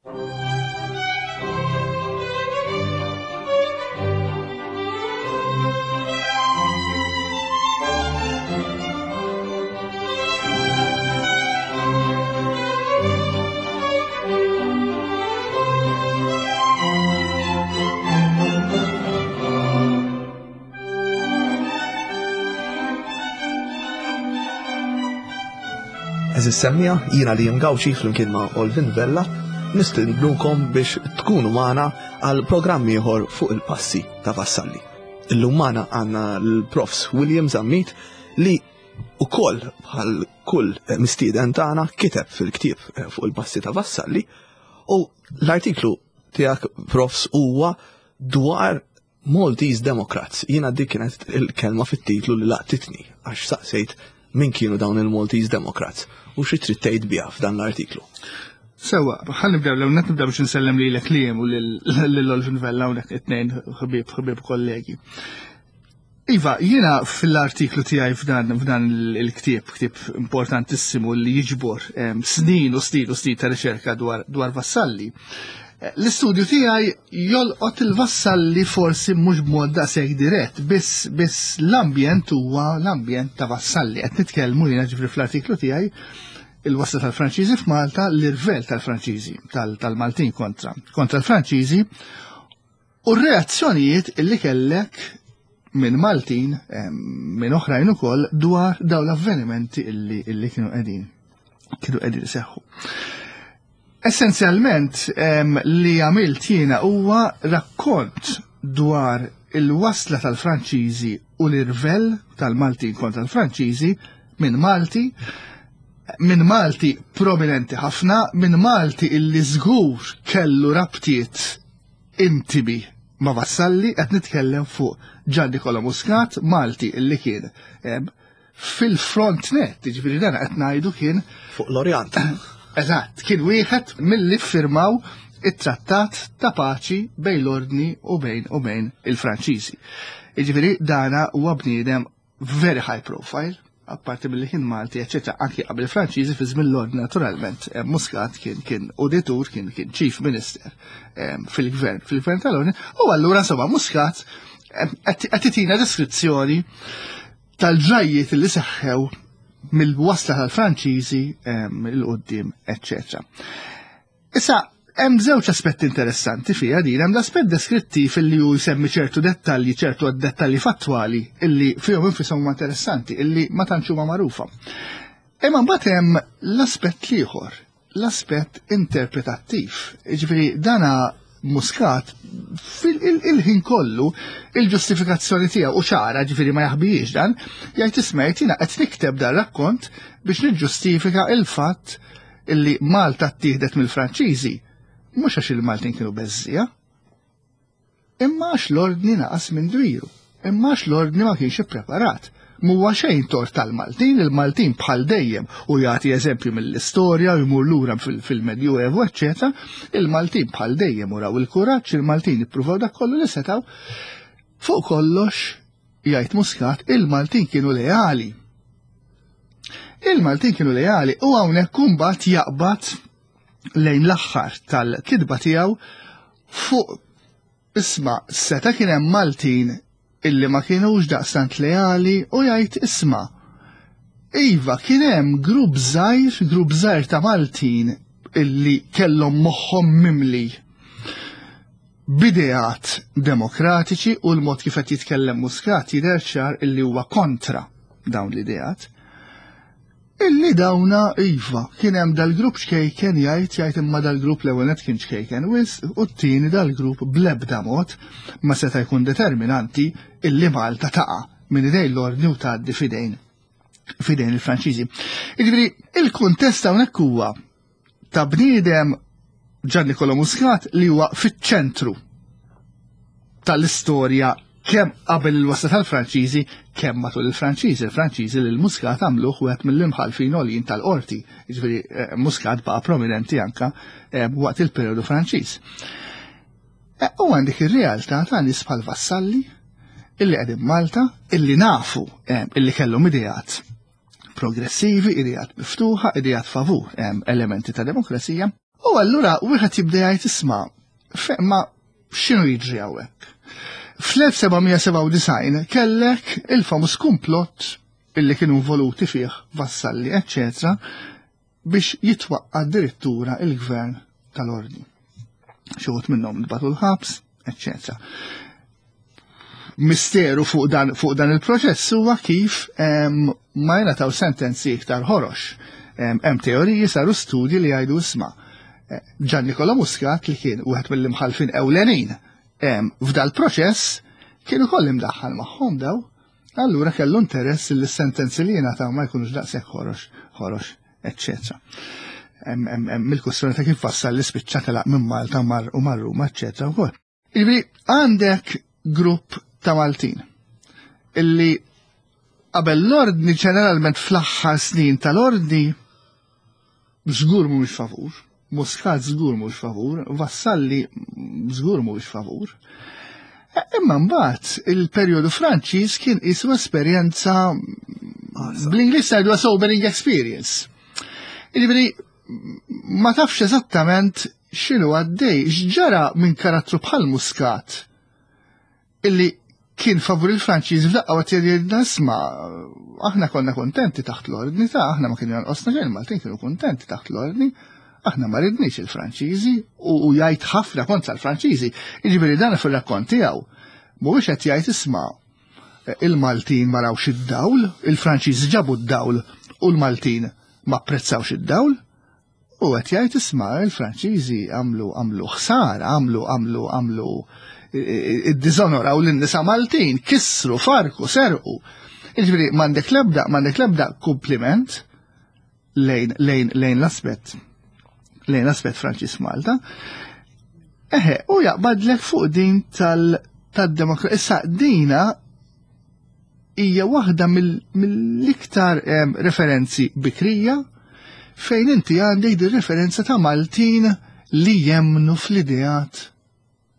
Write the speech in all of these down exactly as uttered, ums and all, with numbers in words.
Għeżież semmiegħa, jiena Liam Gauci flimkien ma' Olvin Vella, nistednukom biex tkunu magħna għal programm ieħor fuq il-passi ta' Vassalli. Illum magħna għandna l-Profs William Zammit li ukoll bħal kull mistieden tagħna kiteb fil-ktieb fuq il-passi ta' Vassalli u l-artiklu tiegħek Profs huwa dwar Maltese Democrats. Jiena dik kienet il-kelma fit-titlu li laqtitni għax saqsejt min kienu dawn il-Maltese Democrats u xi trid tgħid biha f'dan l-artiklu. Sewa, ħa nibdew l nibdew biex nsellem lilek Liam u lil Olvin Vella hawnhekk it-tnejn ħbieb ħbieb kollegi. Iva, jiena fil-artiklu tiegħi f'dan f'dan il-ktieb, ktieb importantissimu li jiġbor snin u snin u snin ta' riċerka dwar dwar Vassalli. L-istudju tiegħi jolqot il-Vassalli forsi mhux b'mod daqshekk dirett, biss biss l-ambjent huwa l-ambjent ta' Vassalli. Qed nitkellmu jiena ġifri fl-artiklu tiegħi il-wasla tal-Franċiżi f'Malta, l-irvel tal-Franċiżi, tal-Maltin kontra kontra l-Franċiżi u r-reazzjonijiet illi kellek minn Maltin, minn oħrajn ukoll dwar dawn l-avvenimenti illi, illi kienu qegħdin kienu qegħdin iseħħu. Essenzjalment li għamilt jiena huwa rakkont dwar il-wasla tal-Franċiżi u l-irvel tal-Maltin kontra l-Franċiżi minn Malti, minn Malti prominenti ħafna, minn Malti illi żgur kellu rabtiet intimi ma' Vassalli, qed nitkellem fuq Gian Nicola Muscat, Malti illi kien fil-front net, jiġifieri dan qed ngħidu kien fuq l-Orjant. Eżatt, kien wieħed mill-li firmaw it-trattat ta' paċi bejn l-Ordni u bejn u bejn il-Franċiżi. Jiġifieri dana huwa bniedem very high profile, apparti mill-li kien Malti, eċetera, anki qabel il-Franċiżi fi żmien l-Ordni naturalment. Muscat kien kien auditur, kien kien chief minister fil-gvern, fil-gvern tal-Ordni, u allura insomma Muscat qed itina deskrizzjoni tal-ġrajjiet li seħħew mill-wasla tal-Franċiżi il-qoddim, eċetera. Issa, hemm żewġ aspetti interessanti fiha din, hemm l-aspett deskrittiv illi hu jsemmi ċertu dettalji, ċertu dettalji fattwali illi fihom infishom huma interessanti, illi ma tantx huma magħrufa. Imma mbagħad hemm l-aspett ieħor, l-aspett interpretattiv. Jiġifieri dana Muscat fil-ħin kollu il-ġustifikazzjoni tiegħu u ċara, ġifieri ma jaħbijiex dan, jgħid isma' jiena qed nikteb dan rakkont biex niġġustifika il-fatt illi Malta ttieħdet mill-Franċiżi, mhux għax il-Maltin kienu beżżija, imma għax l-ordni naqas minn dwiru, imma għax l-ordni ma kienx ippreparat. M'huwa xejn tort tal-Maltin, il-Maltin bħal dejjem u jagħti eżempju mill-istorja u jmur lura fil-Medjuevu, eċċetera, il-Maltin bħal dejjem uraw il-kuraġġ, il-Maltin ippruvaw dak kollu li setgħu. Fuq kollox, jgħid Muscat, il-Maltin kienu leali. Il-Maltin kienu leali u hawnhekk imbagħad jaqbad lejn l-aħħar tal-kitba tiegħu fuq isma' seta' kien hemm Maltin illi ma kienux daqstant leali u jgħid isma' iva kien hemm grupp żgħir, grupp żgħir ta' Maltin illi kellhom moħħhom mimli b'ideat demokratiċi u l-mod kif qed jitkellem Muscat jidher ċar illi huwa kontra dawn l-ideat. Illi dawna iva kien hemm dal-grupp ċkejken jgħid jgħid imma dal-grupp l-ewwel nett kien ċkejken wisq u t-tieni dal-grupp bl-ebda mod ma seta' jkun determinanti illi Malta taqa' minn idejn l-ordni u tgħaddi f'idejn f'idejn il-Franċiżi. Jiġifieri il-kuntest hawnhekk huwa ta' bniedem Gian Nicola Muscat li huwa fiċ-ċentru tal-istorja kemm qabel il-wasla tal-Franċiżi, kemm matul il-Franċiżi. Il-Franċiżi li l-Muscat għamluh wieħed mill-imħallfin għoljin tal-qorti. Jiġifieri, eh, Muscat baqa' prominenti anka, eh, waqt il-perjodu Franċiż. Eh, u għandek ir-realtà ta' nies bħal Vassalli illi qegħdin Malta, illi nafu, eh, illi kellhom ideat progressivi, ideat miftuħa, ideat favur, eh, elementi ta' demokrazija. U allura wieħed jibda jgħid isma' ma x'inhu jiġri hawnhekk. Fl-elf seba' mija sebgħa u disgħin kellek il-famuż komplott illi kienu involuti fih Vassalli, eccetera, biex jitwaqqa addirittura il-gvern tal-ordni. Xi wħud minnhom ntbagħtu l-ħabs, eccetera. Misteru fuq dan, fuq dan il-proċess huwa kif em, ma jingħataw sentenzi iktar ħorox. Hemm teoriji, saru studji li jgħidu isma' eh, Gian Nicola Muscat, li kien wieħed mill-imħalfin ewlenin f'dal proċess, kienu koll imdaħħal magħhom daw, allura kellu interess li s-sentenzi li jingħataw ma jkunux daqshekk ħorox, ħorox, eccetera. Mill-kwestjoni ta' kif wassal li spiċċa telaq minn Malta mar u mar Ruma, eccetera wkoll. Jiġifieri għandek grupp ta' Maltin illi qabel l-ordni, ġeneralment fl-aħħar snin tal-ordni, żgur mhumiex favur, Muscat żgur mhux favur, Vassalli żgur mhux favur. E, imma mbagħad il-perjodu Franċiż kien isu esperjenza, bl-Ingliż jgħidu sobering experience. Jiġifieri ma tafx eżattament x'inhu għaddej, x'ġara minn karattru bħal Muscat illi kien favur il-Franċiż f'daqqa għat jgħidilna isma' aħna konna kontenti taħt l-ordni ta' aħna ma kienu jonqosna xejn, Maltin kienu kontenti taħt l-ordni, aħna ma ridniex il-Franċiżi, u jgħid ħafna kontra l-Franċiżi. Jiġifieri dan fir-rakkont tiegħu mhuwiex qed jgħid isma' il-Maltin ma rawx id-dawl, il-Franċiżi ġabu d-dawl u l-Maltin ma apprezzawx id-dawl, u qed jgħid isma' il-Franċiżi għamlu għamlu ħsara, għamlu għamlu għamlu id-dizonoraw l-nisa Maltin, kissru, farku, serqu. Jiġifieri m'għandek lebda, m'għandek lebda kompliment lejn lejn lejn l-aspett lejn l-aspett Franċiż Malta. Eħe, u jaqbadlek fuq din tal tad-demokrazija. Issa dina hija waħda mill-iktar referenzi bikrija fejn inti għandek di referenza ta' Maltin li jemnu fl-ideat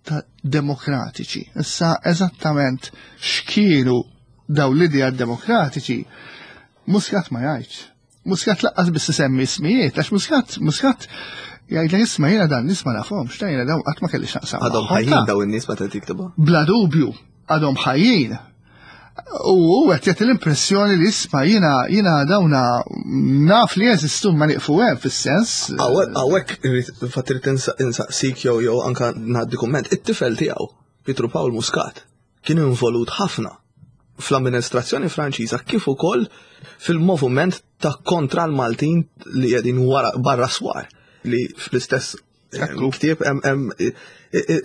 ta' demokratiċi. Issa eżattament x'kienu daw l-ideat demokratiċi, Muscat ma jgħidx. Muscat lanqas biss isemmi ismijiet, għax Muscat, Muscat jgħidlek isma' jiena dan nies ma nafhomx, ta' jiena daw qatt ma kelli x'naqsam. Għadhom ħajjin daw in-nies meta tiktibha? Bla dubju, għadhom ħajjin. U qed jagħti l-impressjoni li isma' jiena jiena dawna naf li jeżistu ma nieqfu hemm fis-sens. Hawnhekk fatt irid insaqsik jew jew anka ngħaddi kumment, it-tifel tiegħu, Pietru Pawl Muscat, kien involut ħafna fl-amministrazzjoni Franċiża kif ukoll fil-moviment ta' kontra l-Maltin li qegħdin wara barra swar, li fl-istess ktieb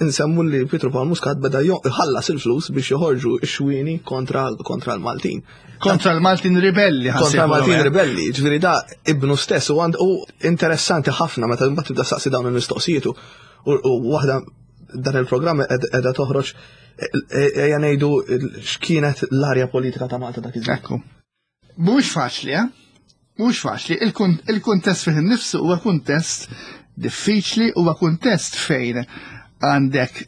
insemmu li Pietru Pawl Muscat beda jħallas il-flus biex joħorġu x-xwini kontra kontra l-Maltin. Kontra l-Maltin ribelli. Kontra l-Maltin ribelli, ġifieri da ibnu stess u għand u interessanti ħafna meta mbagħad tibda saqsi dawn il-mistoqsijiet u waħda dan il-programm qiegħda toħroġ, ejja ngħidu, x'kienet l-arja politika ta' Malta dak iż-żmien. Ekku. Mhux faċli, eh? Mhux faċli. Il-kuntest fih innifsu huwa kuntest diffiċli, huwa kuntest fejn għandek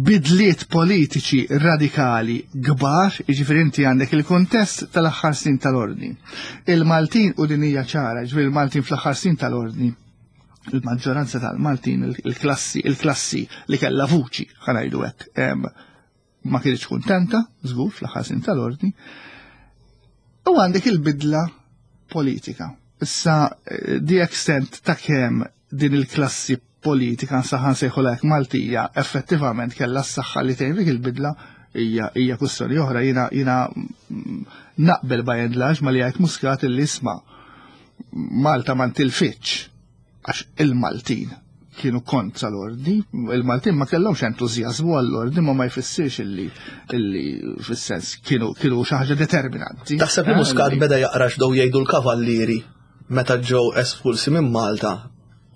bidliet politiċi radikali kbar, jiġifieri inti għandek il-kuntest tal-aħħar snin tal-ordni. Il-Maltin, u din hija ċara, jiġifieri il-Maltin fl-aħħar snin tal-ordni, il-maġġoranza tal-Maltin, il-klassi, il-klassi li kellha vuċi, ħa ngħidu hekk, ma kienx kuntenta, żgur, fl-aħħar snin tal-ordni. U għandek il-bidla politika. Issa, the extent ta' kemm din il-klassi politika saħan sejħu lek Maltija effettivament kellha s-saħħa li tgħin dik il-bidla hija hija kwistjoni oħra. Jiena jiena naqbel by and large ma li jgħid Muscat illi isma' Malta ma ntilfitx għax il-Maltin kienu kontra l-ordni, il-Maltin ma kellhomx entużjażmu għall-ordni, ma ma jfissirx illi illi fis-sens kienu kienu xi ħaġa determinanti. Taħseb li Muscat beda jaqra x'bdew jgħidu l-kavallieri meta ġew espulsi minn Malta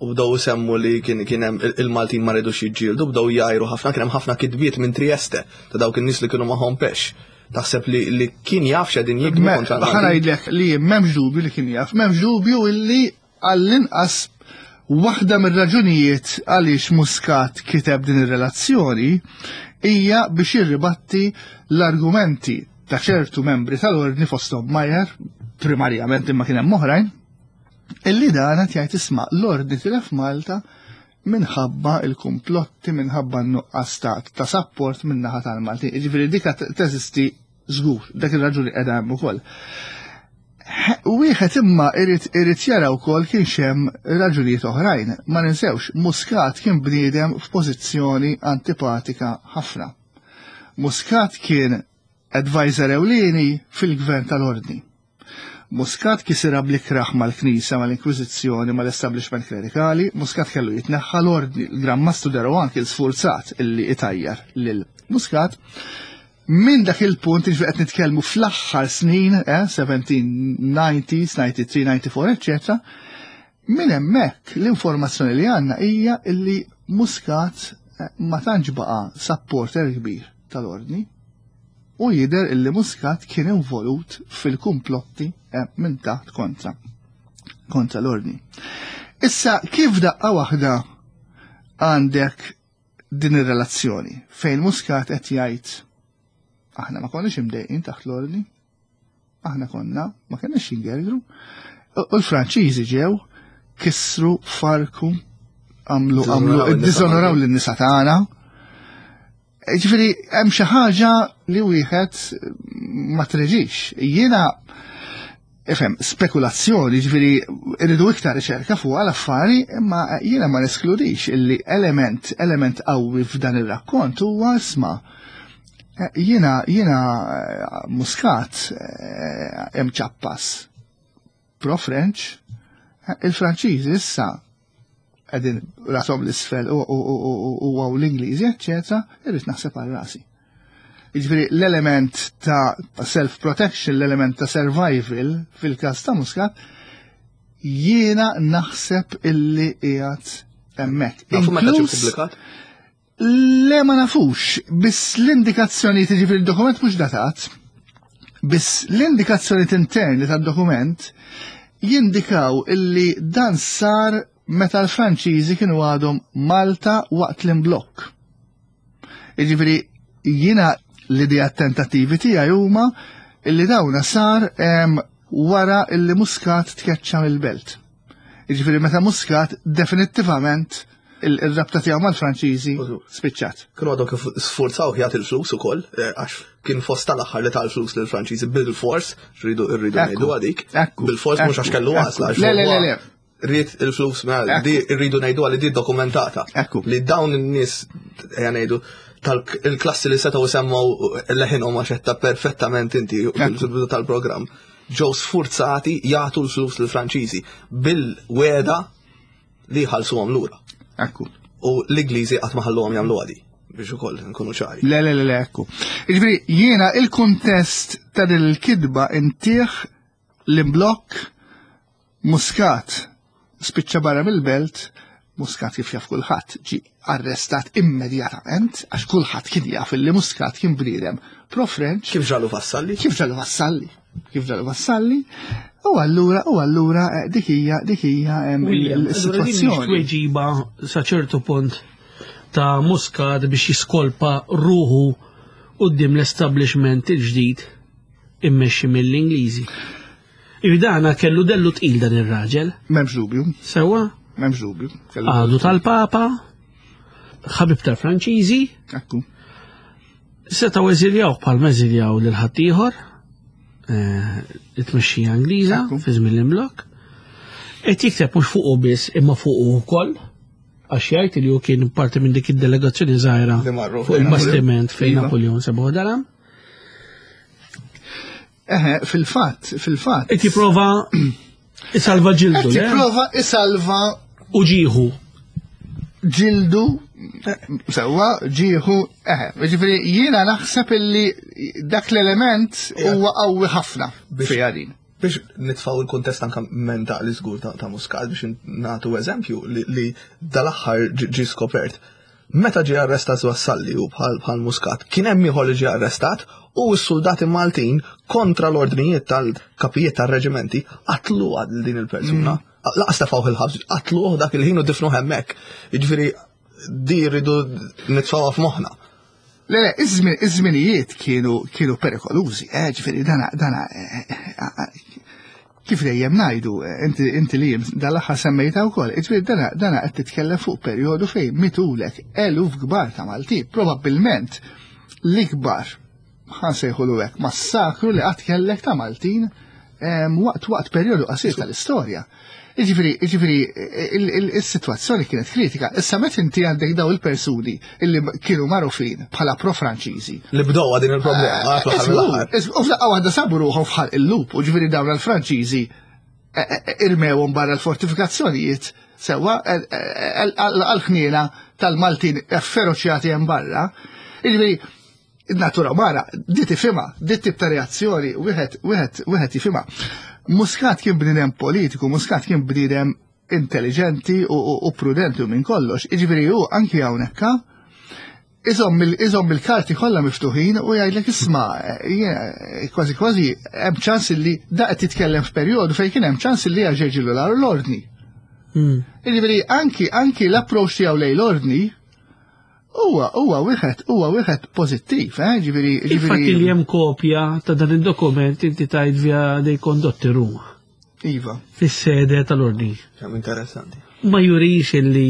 u bdew isemmu li kien kien hemm il-Maltin ma ridux jiġġieldu, bdew jgħajru ħafna, kien hemm ħafna kitbiet minn Trieste ta' dawk in-nies li kienu magħhom pex. Taħseb li, li kien jaf x'qegħdin jikbu kontra l-Maltin? Ħa ngħidlek li m'hemmx dubju li kien jaf, m'hemmx dubju illi għall-inqas waħda mir-raġunijiet għaliex Muscat kiteb din ir-relazzjoni hija biex jirribatti l-argumenti ta' ċertu membri tal-ordni, fosthom Majer, primarjament, imma kien hemm oħrajn, illi dan qed jgħid isma' l-ordni tilef Malta Minħabba il-kumplotti, minħabba n-nuqqas ta' support min-naħa tal-Maltin. Ġifieri dika teżisti żgur, dak ir-raġuni qiegħda hemm ukoll. Wieħed imma irid irid jara wkoll kien hemm raġunijiet oħrajn. Ma ninsewx, Muscat kien bniedem f'pożizzjoni antipatika ħafna. Muscat kien advisor ewlieni fil-gvern tal-Ordni. Muscat kisirha bl-ikrah mal-Knisja, mal-Inkwiżizzjoni, mal-establishment klerikali. Muscat kellu jitneħħa l-Ordni, il-Gran Mastru de Rohan kien sfurzat illi itajjar lil Muscat. Minn dak il-punt, ġifieri qed nitkellmu fl-aħħar snin, eh, seventeen nineties, ninety-three, ninety-four, eccetera. Minn hemmhekk l-informazzjoni li għandna hija illi Muscat eh, ma tantx baqa' supporter kbir tal-Ordni u jider illi Muscat kien involut fil-kumplotti eh, minn taħt kontra kontra l-Ordni. Issa, kif daqqa waħda għandek din ir-relazzjoni fejn Muscat qed jgħid, "Aħna ma konniex imdejqin taħt l-Ordni, aħna konna ma kenniex jingergru, u l-Franċiżi ġew, kissru, farku, għamlu għamlu iddiżonoraw lin-nisa tagħna." Ġifieri hemm xi ħaġa li wieħed ma treġix. Jiena ifhem, spekulazzjoni, ġifieri irridu iktar riċerka fuq l-affari, imma jiena ma neskludix illi element element qawwi f'dan ir-rakkont huwa, isma', jiena jiena Muscat hemm ċappas pro-French, il-Franċiżi issa qegħdin rashom 'l isfel u għaw l-Ingliżi, eccetera, irrid naħseb għal rasi. Jiġifieri l-element ta' self-protection, l-element ta' survival fil-każ ta' Muscat, jiena naħseb illi qiegħed hemmhekk. Nafu meta ġie pubblikat? Le, ma nafux, biss l-indikazzjoni, tiġi fil-dokument mhux datat, biss l-indikazzjoni interni tad-dokument jindikaw illi dan sar meta l-Franċiżi kienu għadhom Malta waqt l-imblokk. Jiġifieri jiena l-idea tentattivi tiegħi huma illi dawna sar wara illi Muscat tkeċċa mill-belt. Jiġifieri meta Muscat definittivament il-rabta tiegħu mal-Franċiżi spiċċat. Kienu għadhom kif sforzaw jagħti l-flus ukoll, eh, għax kien fost tal-aħħar li tal-flus lill-Franċiżi bil-fors, rridu rridu ngħidu għadik. Bil-fors, mhux għax kellu għażla. Le, le, le, le. Ried il-flus, mela, di rridu ngħidu għalli di dokumentata. Li dawn in-nies, ejja ngħidu, tal-klassi li setgħu semmaw leħinhom, għax perfettament inti fil-bidu tal-programm, ġew sfurzati jagħtu l-flus lill-Franċiżi bil-weda li jħallsuhom lura. Ekku. U l-Ingliżi qatt ma ħalluhom jagħmlu għadi, biex ukoll nkunu ċari. Le, le, le, le, ekku. Jiġifieri jiena il-kuntest ta' din il-kidba intih l-imblokk, Muscat spiċċa barra mill-belt, Muscat, kif jaf kulħadd, ġi arrestat immedjatament għax kulħadd kien jaf li Muscat kien bniedem pro-French. Kif ġralu Vassalli? Kif ġralu Vassalli? Kif ġralu Vassalli? U allura, u allura eh, dik hija dik hija em, William, il-sitwazzjoni. Tweġiba sa ċertu punt ta' Muscat biex jiskolpa ruħu quddiem l-establishment il-ġdid immexxi mill-Ingliżi. Ividana kellu dellu tqil dan ir-raġel. M'hemmx dubju. Sewa? M'hemmx dubju. Kellu- Għadu tal-Papa, ħabib tal-Franċiżi, Ekku. setgħu eżiljaw bħal eżiljaw lil ħaddieħor eh, it-tmexxija Ingliża Ekku. fi żmien l-imblokk. Qed jikteb mhux fuqu biss imma fuqu wkoll, għax jgħid li hu kien parti minn dik id-delegazzjoni żgħira Li marru fuq fejn il-bastiment fejn Iva. Napoleon sebaħ dalam. Eħe, fil-fatt, fil-fatt. Qed jipprova isalva ġildu, Qed le? jipprova isalva U ġieħu. ġildu, sewwa, ġieħu, eħe, ġifieri jiena naħseb illi dak l-element huwa qawwi ħafna Biex- fiha din. Biex nitfaw il-kontest anka mentali żgur ta', ta' Muscat, biex nagħtu eżempju li, li dal-aħħar ġi ġi skopert. Meta ġie arrestat Vassalli u bħal bħal Muscat, kien hemm ieħor li ġie arrestat u s-soldati Maltin, kontra l-ordnijiet tal-kapijiet tal-reġimenti, qatlu għal din il-persuna. Lanqas tefgħuh il-ħabs, qatluh dak il-ħin u difnu hemmhekk. Jiġifieri di rridu nitfawha f'moħħna. Le, le, iż-żmien- iż-żminijiet kienu kienu perikolużi, eh, ġifieri dana dana eh, eh, Kif dejjem ngħidu, inti inti li dal-aħħar semmejta wkoll, jiġifieri dana dana qed titkellem fuq perjodu fejn mitulek eluf kbar ta' Maltin, probabbilment l-ikbar ħa nsejħulu hekk massakru li qatt kellek ta' Maltin waqt waqt perjodu qasir tal-istorja. Jiġifieri, jiġifieri, il-sitwazzjoni kienet kritika. Issa meta inti għandek daw il-persuni illi kienu magħrufin bħala pro-Franċiżi. Li bdowa din il-problema. U f'daqqa waħda sabu ruħhom f'ħalq il-lup, u ġifieri dawn il-Franċiżi irmewhom barra l-fortifikazzjonijiet sewwa għal-ħniena tal-Maltin afferoċjati hemm barra. Jiġifieri, natura umana, di tifhimha, di tip ta' reazzjoni, wieħed wieħed wieħed jifhimha. Muscat kien bniedem politiku, Muscat kien bniedem intelligenti u, u, u prudenti u minn kollox. Jiġifieri hu anki hawnhekk iżomm il-karti kollha miftuħin u jgħidlek isma' kważi kważi hemm ċans li da qed titkellem f'perjodu fejn kien hemm ċans li jaġeġilu l-ordni. Hmm. Jiġifieri anki anki l-approach tiegħu lejn l-ordni huwa huwa wieħed huwa wieħed pożittiv, eh? Ġifieri Infatti li hemm kopja ta' dan id-dokument inti tajt via dei Condotti Ruma. Iva. Fis-sede tal-ordni. Kemm interessanti. Ma jurix illi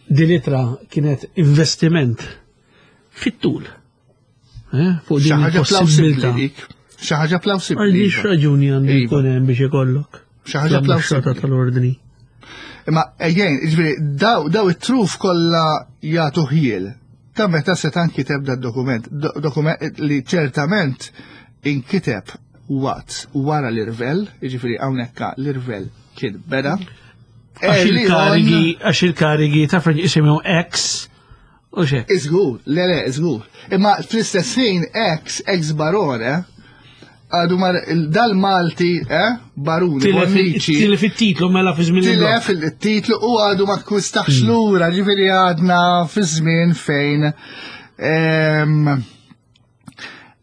din ittra kienet investiment fit-tul. Eh? Fuq Xi din ħaġa plawsibbli il-possibilità. dik. Xi ħaġa plawsibbli. Għandix iva. raġuni għandu Iva. jkun hemm biex ikollok. Xi ħaġa L-ambaxxata plawsibbli. tal-ordni. Imma again, ġifieri, daw, daw it-truf kollha jagħtu ħjiel. Ta' meta se nkiteb da dokument, do, dokument li ċertament inkiteb waqt wara l-irvel, jiġifieri hawnhekk l-irvel kien beda. Għax Early on- il-karigi, għax il-karigi ta' Franċ jisimhom ex u xek. Iżgur, le le, iżgur. Imma fl-istess ħin ex, ex barone, għadu mar dal-Malti, eh, baruni, Bonnici, Tilef it-titlu mela fi żmien tilef il-titlu u għadu ma kkwistax lura, ġifieri għadna fi żmien fejn. em,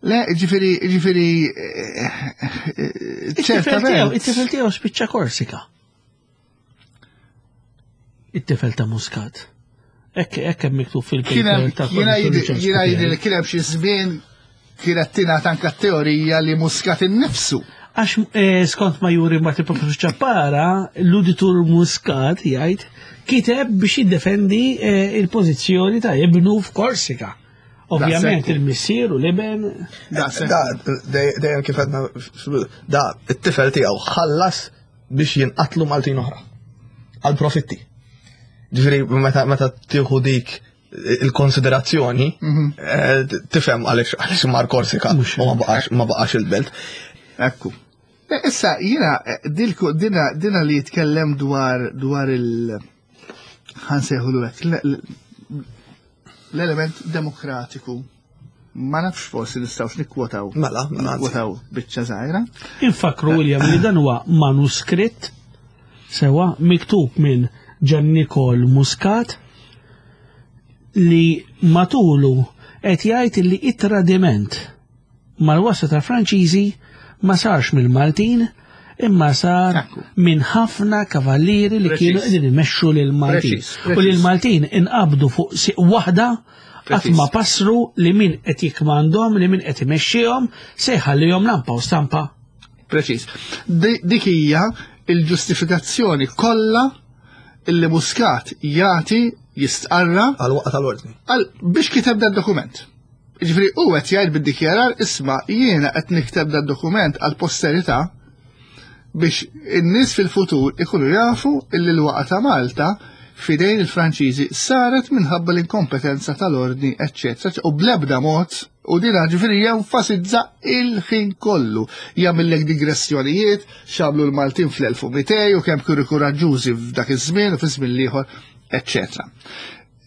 Le, ġifieri, ġifieri, eh, eh, ċertament. It-tifel tiegħu spiċċa Korsika. It-tifel ta' Muscat. Ekk ekk hemm miktub Kien hemm- fil-paper ta' jiena jidi- Constitution jiena jidi li Speċjali. kien hemm xi żmien kienet tingħata anke teorija li Muscat innifsu. Għax eh, skont ma juri mbagħad il-professur Ċappara, l-uditur Muscat jgħid kiteb biex jiddefendi eh, il-pożizzjoni ta' ibnu f'Korsika. Ovvjament Daqshekk. il-missier u l-iben Daqshekk. Da, dej- dejjem kif għedna, da, it-tifel tiegħu ħallas biex jinqatlu Maltin oħra. Għal profitti. Ġifieri, meta meta tieħu dik il-konsiderazzjoni, eh, tifhem għaliex għaliex mar Korsika Mhux u ma baqax ma baqax il-belt. Ekku. Eh, Issa, jiena, eh, dilku, dina, dina li jitkellem dwar, dwar il- ħa nsejħulu hekk, l- l- l-element demokratiku. Ma nafx forsi nistgħux nikkwotaw. Mela, mela, anzi. Nikkwotaw biċċa żgħira. Infakru William li dan huwa manuskritt sewa miktub minn Gian Nicol Muscat li matulu qed jgħid li it-tradiment mal-wasa ta' Franċiżi ma sarx mill-Maltin imma sar Ekku. minn ħafna kavallieri li Preċiż. kienu qegħdin imexxu lil Maltin. Preċiż, U li preċiż. l-Maltin inqabdu fuq siq waħda qatt Preċiż. ma passru li min qed jikmandhom, li min qed imexxihom se jħallihom lampa u stampa. Preċiż. Di- Dik hija il-ġustifikazzjoni kollha illi Muscat jagħti jistqarra Għal waqt tal-ordni. għal biex kiteb dan dokument. Ġifieri u qed jgħid bid-dikjarar isma' jiena qed nikteb dan dokument għal posterità biex in-nies fil-futur ikunu jafu illi l-waqa ta' Malta fidejn il-Franċiżi saret minħabba l-inkompetenza tal-ordni, eccetera. U blebda mod, u dina ġifieri jenfasizza il-ħin kollu. Jagħmellek digressjonijiet, x'għamlu l-Maltin fl-elf u mitejn u kemm kienu kuraġġużi f'dak iż-żmien u fi żmien l-ieħor, eccetera.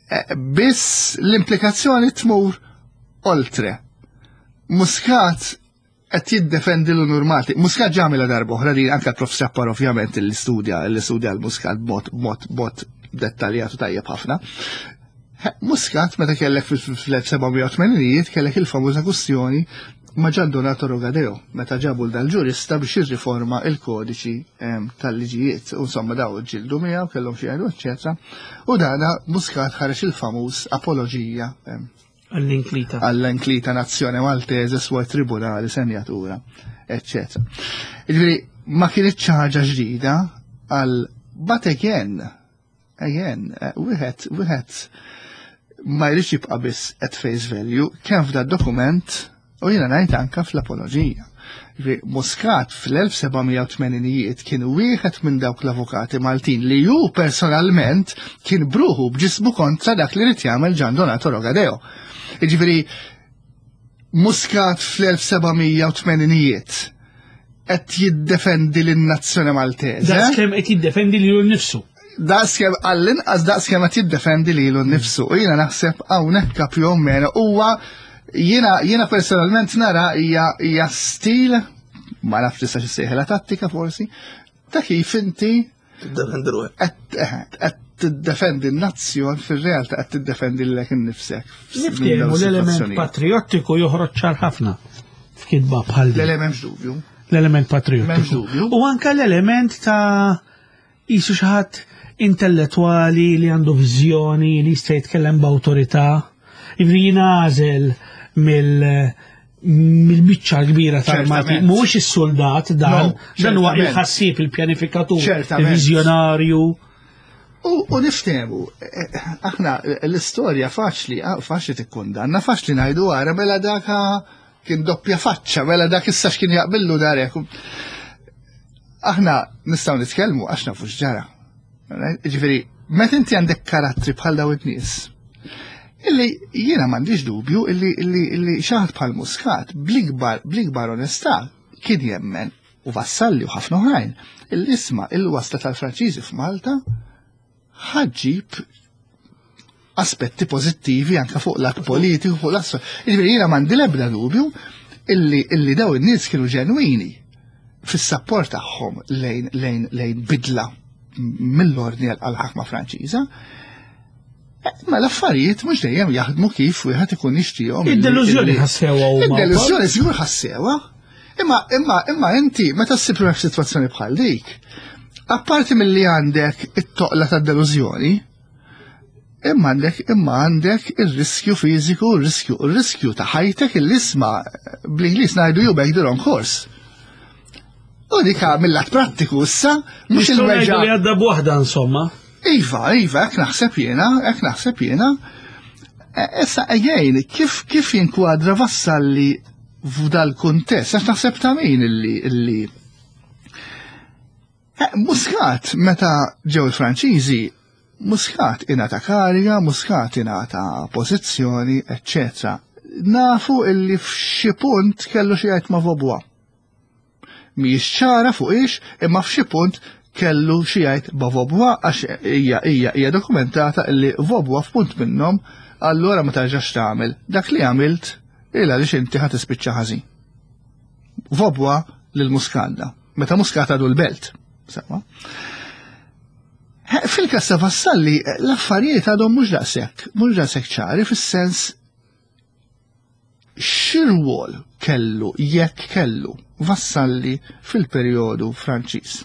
Eh, Biss l-implikazzjoni tmur oltre. Muscat qed jiddefendi l-unur Malti. Muscat ġamela darba oħra li anke l-Prof Sappar ovvjament li studja li studja l-Muscat b'mod b'mod b'mod dettaljat u tajjeb ħafna. Muscat meta kellek fl-elf seba' mija u tmeninijiet kellek il-famuża kwestjoni ma' Gian Donato Rogadeo, meta ġabu dal-ġurista biex jirriforma il-kodiċi em, tal-liġijiet. U insomma daw ġildu miegħu kellhom xi jgħidu, eċċetera. U dana Muscat ħareġ il-famuż apoloġija em, Għall-inklita. Għall-inklita nazzjone Maltese suoi tribunali, senjatura, eccetera. Ġifieri, Ma kienet xi ħaġa ġdida għal, but again, again, eh, wieħed wieħed ma jridx jibqa' biss at face value kemm f'da dokument u jiena ngħid anka fl-apoloġija. Ġifieri, Muscat fl-elf seba' mija u tmeninijiet kien wieħed minn dawk l-avukati Maltin li ju personalment kien bruħu b'ġismu kontra dak li ried jagħmel Gian Donato Rogadeo. Jiġifieri Muscat fl-elf seba' mija u tmeninijiet qed jiddefendi lin-nazzjoni Maltese. Daqs kemm qed jiddefendi lilu nnifsu. Daqskemm, għall-inqas daqskemm qed jiddefendi lilu nnifsu. U jiena naħseb hawnhekk più o meno huwa jiena jiena personalment nara hija hija stil, ma nafx tista' xissejħilha tattika forsi, ta' kif inti Tiddefendi ruħek. qed eh, qed tiddefendi n-nazzjon, fir-realtà qed tiddefendi lilek innifsek. Niftehmu l-element patriottiku joħroġ ċar ħafna f'kitba bħal din. Le, le, m'hemmx dubju. L-element M'hemmx patriottiku. dubju. U anka l-element ta' jisu xi ħadd intellettuali li għandu viżjoni li jista' jitkellem b'awtorità. Ivri jingħażel mill mill-biċċa kbira tal-Malti. Ċertament. Mhuwiex is-soldat dan, No, dan huwa ċertament. il-ħassieb, il-pjanifikatur, Ċertament. il-viżjonarju. U, u niftehmu, eh, aħna l-istorja faċli, ah, faċli tikkundanna, faċli ngħidu għara mela daka kien doppja faċċa, mela dak issa x'kien jaqbillu darek. Aħna nistgħu nitkellmu għax nafu x'ġara. Right? Ġifieri, meta inti għandek karattri bħal daw it-nies, illi jiena m'għandix dubju illi illi illi xi ħadd bħal Muscat bl-ikbar bl-ikbar onestà kien jemmen, u Vassalli u ħafna oħrajn, illi isma' il-wasla tal-Franċiżi f'Malta ħa ġġib aspetti pożittivi anka fuq lat politiku, fuq lat. Jiġifieri jiena m'għandi l-ebda dubju illi illi daw in-nies kienu ġenwini fis-sapport tagħhom lejn lejn lejn bidla mill-ordni għal-ħakma Franċiża. Eh, Ma l-affarijiet mhux dejjem jaħdmu kif wieħed ikun jixtieqhom. illi- Id-delużjoni illi- ħassewha huma. Id-delużjoni żgur ħassewha. Imma imma imma inti meta ssib ruħek f'sitwazzjoni bħal dik, apparti milli għandek it-toqla tad-delużjoni, imma għandek imma għandek ir-riskju fiżiku, ir-riskju ir-riskju ta' ħajtek illi isma' bl-Ingliż ngħidu you make the wrong course. U dika mill-lat prattiku issa mhux Nistgħu ngħidu il-weġa. li għadda b'waħda insomma. Iva, iva, hekk naħseb jiena, hekk naħseb jiena. E, Issa, again, kif, kif jinkwadra Vassalli f'dal kuntest? Għax naħseb ta' min illi, illi. Eh, Muscat, meta ġew il-Franċiżi, Muscat ingħata kariga, Muscat ingħata pożizzjoni, eccetera. Nafu illi f'xi punt kellu xi jgħid ma' Vaubois. Mhijiex ċara fuq ix, imma f'xi punt kellu xi jgħid ma' Vaubois għax hija hija hija dokumentata illi Vaubois f'punt minnhom allura ma tarġax tagħmel dak li għamilt illa għaliex inti ħa tispiċċa ħażin. Vaubois lil Muscat. Meta Muscat għadu l-Belt. Sewa. Fil-każ ta' Vassalli l-affarijiet għadhom mhux daqshekk, mhux daqshekk ċari fis-sens x'irwol kellu, jekk kellu, Vassalli fil-perjodu Franċiż.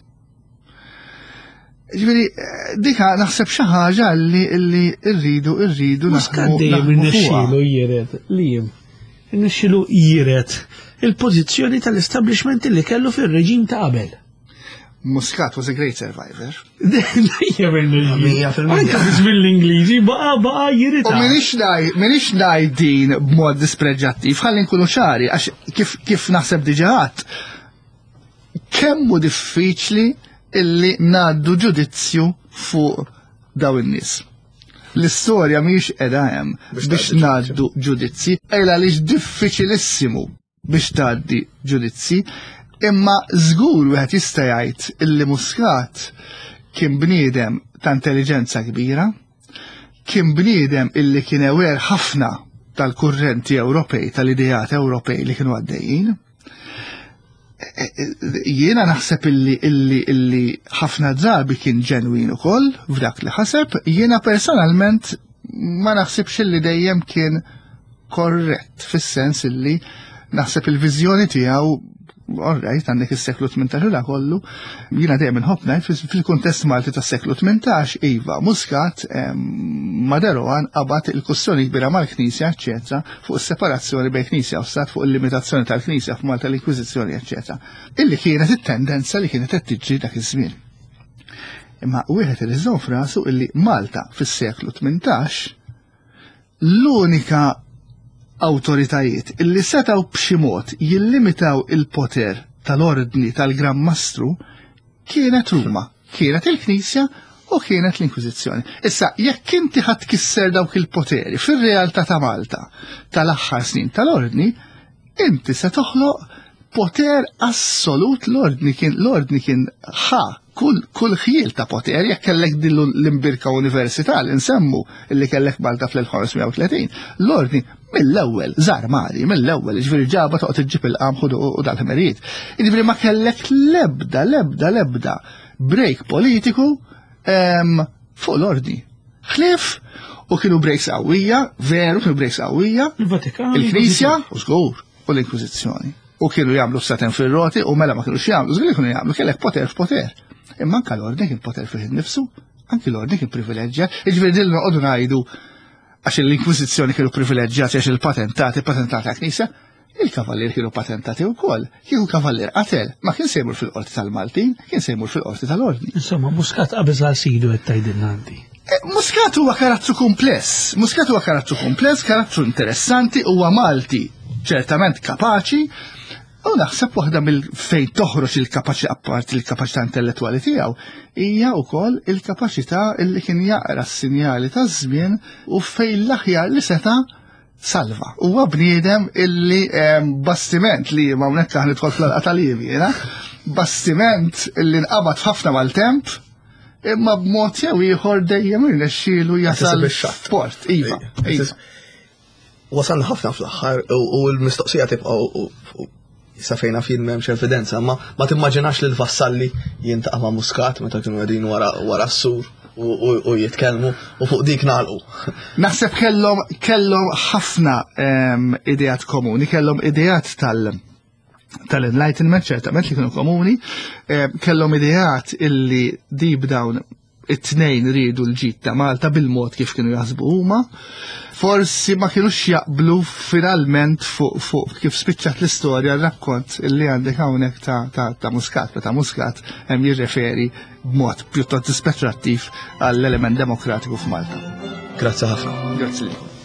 Ġifieri, dika naħseb xi ħaġa li li rridu rridu Muscat naħdmu dejjem naħdmu fuqha. irnexxielu jiret li jiem. Irnexxielu jiret il-pożizzjoni tal-establishment li kellu fir-reġim ta' qabel. Muscat was a great survivor. Dejjem irnexxielu. Mija fil-mija. Anka fi żmien l-Ingliżi baqa' baqa' U jirita. minix ngħid, minix ngħid din b'mod dispreġġattiv, ħalli nkunu ċari, għax kif, kif naħseb diġà għedt, kemm hu diffiċli illi ngħaddu ġudizzju fuq daw in-nies. L-istorja mhijiex qiegħda hemm Biex biex tgħaddi ngħaddu ġudizzi, ejla għaliex diffiċilissimu biex tgħaddi ġudizzi, imma żgur wieħed jista' jgħid illi Muscat kien bniedem ta' intelligenza kbira, kien bniedem illi kien aware ħafna tal-kurrenti Ewropej, tal-ideat Ewropej li kienu għaddejjin. E- e- Jiena naħseb illi illi illi ħafna drabi kien ġenwin ukoll f'dak li ħaseb, jiena personalment ma naħsibx illi dejjem kien korrett fis-sens illi naħseb il-viżjoni tiegħu All right, għandek is-seklu tmintax u kollu, jiena dejjem inħobb ngħid fil-kuntest Malti tas-seklu tmintax, iva, Muscat ma' de Rohan qabad il-kwestjoni kbira mal-Knisja, eċċetera, fuq is-separazzjoni bejn Knisja u Stat, fuq il-limitazzjoni tal-Knisja f'Malta, l-Inkwiżizzjoni, eċċetera. Illi kienet it-tendenza li kienet qed tiġri dak iż-żmien. Imma wieħed irid iżomm f'rasu illi Malta fis-seklu tmintax l-unika awtoritajiet illi setaw b'xi mod jillimitaw il-poter tal-ordni tal-Gran Mastru kienet Ruma, kienet il-Knisja u kienet l-Inkwiżizzjoni. Issa, jekk inti ħadd kisser dawk il-poteri fir-realtà ta' Malta tal-aħħar snin tal-ordni, inti se toħloq poter assolut. L-ordni kien l-ordni kien ħa kull kull ħjiel ta' poter. Jekk kellek din l-imbirka università li nsemmu illi kellek Malta fl-elf ħamesmija u tletin, l-ordni mill-ewwel żarmari, mill-ewwel, ġifieri ġaba toqgħod iġġib il-qamħ u dal-ħmerijiet. Jiġifieri ma kellek lebda, lebda, lebda break politiku fuq l-ordni. Ħlief u kienu breaks qawwija, veru kienu breaks qawwija. Il-Vatikan. Il-Knisja, u żgur, u l-Inkwiżizzjoni. U kienu jagħmlu saten fir-roti u mela ma kienux jagħmlu, żgur kienu jagħmlu, kellek poter f'poter. Imma anke l-ordni kien poter fih innifsu, anke l-ordni kien privileġġjat. Jiġifieri din noqogħdu ngħidu għax l-Inkwiżizzjoni kienu privileġġjati għax il-patentati, patentati għal Knisja, il-kavallier kienu patentati wkoll. Kieku kavallier qatel, ma kien se jmur fil-qorti tal-Maltin, kien se jmur fil-qorti tal-ordni. Insomma, Muscat qabeż għal sidu qed tgħidilna inti. Muscat huwa karattru kumpless, Muscat huwa karattru kumpless, karattru interessanti, huwa Malti, ċertament kapaċi, u naħseb waħda mill fejn toħroġ il-kapaċi apparti il-kapaċità intellettwali tiegħu hija wkoll il-kapaċità li kien jaqra s-sinjali taż-żmien u fejn l-aħjar li seta' salva. Huwa bniedem illi bastiment li ma hawnhekk aħna nidħol fl-għalqa tal-Livi, jiena, bastiment illi nqabad f'ħafna maltemp, imma b'mod jew ieħor dejjem irnexxielu jasal port. Iva, iva. Wasalna ħafna fl-aħħar u l-mistoqsija tibqa' sa fejna fin m'hemmx evidenza, ma ma timmaġinax li l-Vassalli jintaqa' ma' Muscat meta kienu qegħdin wara s-sur u jitkellmu u fuq dik nagħlqu. Naħseb kellhom kellhom ħafna ideat komuni, kellhom ideat tal tal-Enlightenment ċertament li kienu komuni, kellhom ideat illi deep down it-tnejn riedu l-ġid ta' Malta bil-mod kif kienu jaħsbu huma. Forsi ma kienux jaqblu finalment fuq fu kif spiċċat l-istorja, r-rakkont illi għandek hawnhekk ta', ta, ta' Muscat, meta Muscat hemm jirreferi b'mod pjuttost dispetrattiv għall-element demokratiku f'Malta. Grazzi ħafna. Grazzi lilkom.